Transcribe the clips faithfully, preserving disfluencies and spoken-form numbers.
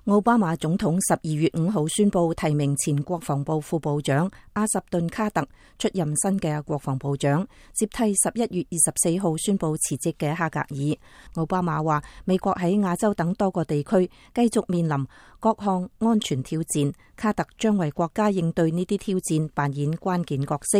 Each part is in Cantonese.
奧巴馬總統十二月五號宣布提名前國防部副部長阿什頓卡特出任新嘅國防部長，接替十一月二十四號宣布辭職嘅哈格爾。奧巴馬話，美國喺亞洲等多個地區繼續面臨各項安全挑戰，卡特將為國家應對呢啲挑戰扮演關鍵角色。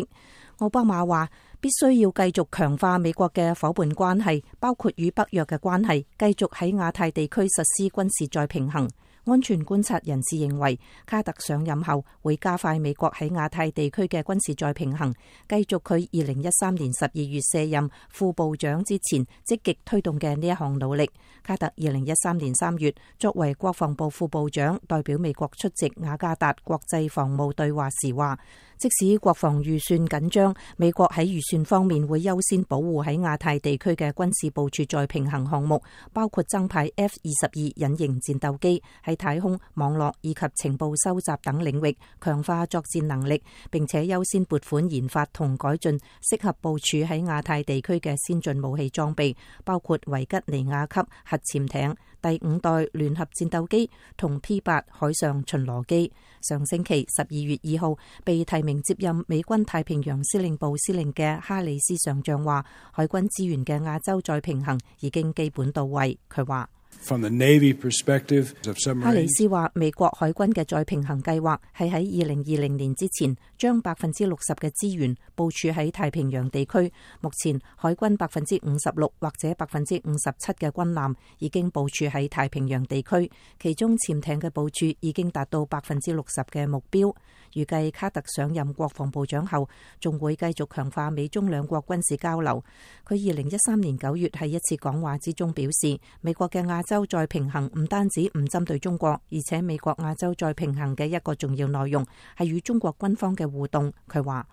奧巴馬話，必須要繼續強化美國嘅夥伴關係，包括與北約嘅關係，繼續喺亞太地區實施軍事再平衡。安全觀察人士認為，卡特上任後會加快美國喺亞太地區嘅軍事再平衡，繼續佢二零一三年十二月卸任副部長之前積極推動嘅呢一項努力。卡特二零一三年三月作為國防部副部長，代表美國出席雅加達國際防務對話時話，即使國防預算緊張，美國喺預算方面會優先保護喺亞太地區嘅軍事部署再平衡項目，包括增派 F 二十二隱形戰鬥機喺太空、網絡以及情報收集等領域強化作戰能力，並且優先撥款研發同改進適合部署喺亞太地區嘅先進武器裝備，包括維吉尼亞級核潛艇、第五代聯合戰鬥機同 P 八海上巡邏機。上星期十二月二號被提名接任美軍太平洋司令部司令嘅哈里斯上將話，海軍資源嘅亞洲再平衡已經基本到位。佢話，From the Navy perspective of submarines，哈里斯話，美國海軍嘅再平衡計劃係喺二零二零年之前將百分之六十嘅資源部署喺太平洋地區。目前海軍百分之五十六或者百分之五十七嘅軍艦已經部署喺太平洋地區，其中潛艇嘅部署已經達到百分之六十嘅目標。預計卡特上任國防部長後，仲會繼續強化美中兩國軍事交流。佢二零一三年九月喺一次講話之中表示，美國嘅亞洲再平衡唔單止唔針對中國，而且美國亞洲再平衡嘅一個重要內容係與中國軍方嘅互動。佢話，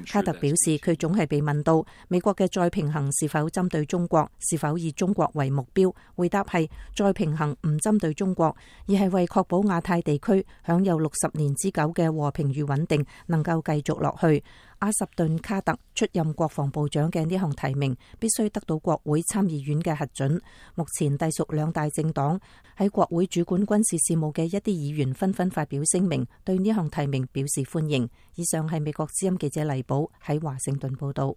卡特表示，佢總係被問到美國嘅再平衡是否針對中國，是否以中國為目標，回答係再平衡唔針對中國，而係為確保亞太地區享有六十年之久嘅和平與穩定能夠繼續落去。阿什頓卡特出任國防部長嘅呢項提名必須得到國會參議院嘅核准。目前隸屬兩大政黨喺國會主管軍事事務嘅一啲議員紛紛發表聲明，對呢項提名表示歡迎。以上係美國之音記者黎寶喺華盛頓報道。